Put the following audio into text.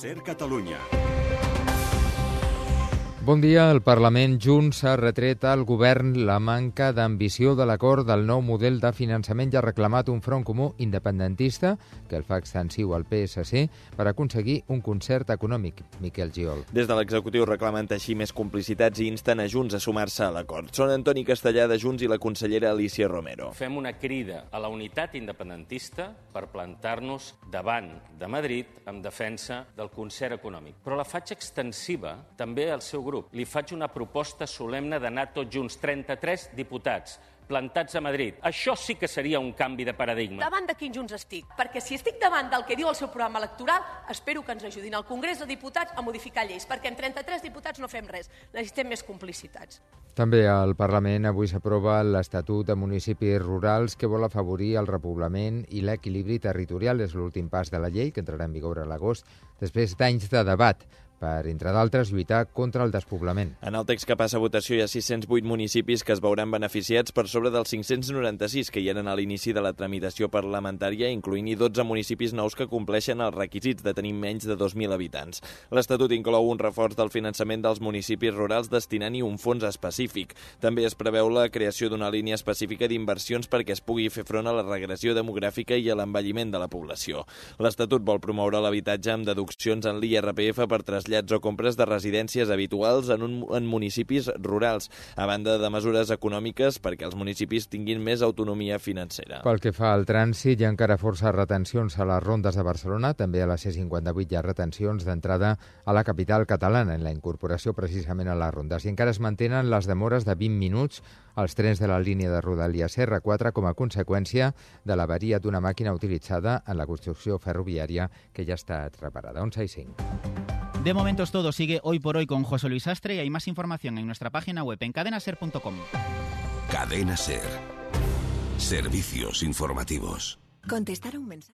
SER Catalunya. Bon dia. El Parlament Junts ha retret al govern la manca d'ambició de l'acord del nou model de finançament i ha reclamat un front comú independentista que el fa extensiu al PSC per aconseguir un concert econòmic. Miquel Giol. Des de l'executiu reclamen teixir més complicitats i insten a Junts a sumar-se a l'acord. Són Antoni Castellà de Junts i la consellera Alícia Romero. Fem una crida a la unitat independentista per plantar-nos davant de Madrid en defensa del concert econòmic. Però la faig extensiva també al seu grup. Li faig una proposta solemne d'anar tots junts, 33 diputats, plantats a Madrid. Això sí que seria un canvi de paradigma. Davant de quin Junts estic? Perquè si estic davant del que diu el seu programa electoral, espero que ens ajudin al Congrés de Diputats a modificar lleis, perquè amb 33 diputats no fem res. Necessitem més complicitats. També al Parlament avui s'aprova l'Estatut de Municipis Rurals que vol afavorir el repoblament i l'equilibri territorial. És l'últim pas de la llei que entrarà en vigor a l'agost, després d'anys de debat per, entre d'altres, lluitar contra el despoblament. En el text que passa a votació hi ha 608 municipis que es veuran beneficiats per sobre dels 596 que hi eren a l'inici de la tramitació parlamentària, incloent-hi 12 municipis nous que compleixen els requisits de tenir menys de 2.000 habitants. L'Estatut inclou un reforç del finançament dels municipis rurals destinant-hi un fons específic. També es preveu la creació d'una línia específica d'inversions perquè es pugui fer front a la regressió demogràfica i a l'envelliment de la població. L'Estatut vol promoure l'habitatge amb deduccions en l'IRPF per trasllats o compres de residències habituals en municipis rurals, a banda de mesures econòmiques perquè els municipis tinguin més autonomia financera. Pel que fa al trànsit, hi ha encara força retencions a les rondes de Barcelona. També a la C58 hi ha retencions d'entrada a la capital catalana en la incorporació precisament a les rondes. I encara es mantenen les demores de 20 minuts als trens de la línia de Rodalies R4 com a conseqüència de l'avaria d'una màquina utilitzada en la construcció ferroviària que ja ha estat reparada. 11:05. De momento es todo. Sigue Hoy por Hoy con José Luis Sastre y hay más información en nuestra página web en cadenaser.com. Cadena SER. Servicios informativos. Contestar a un mensaje.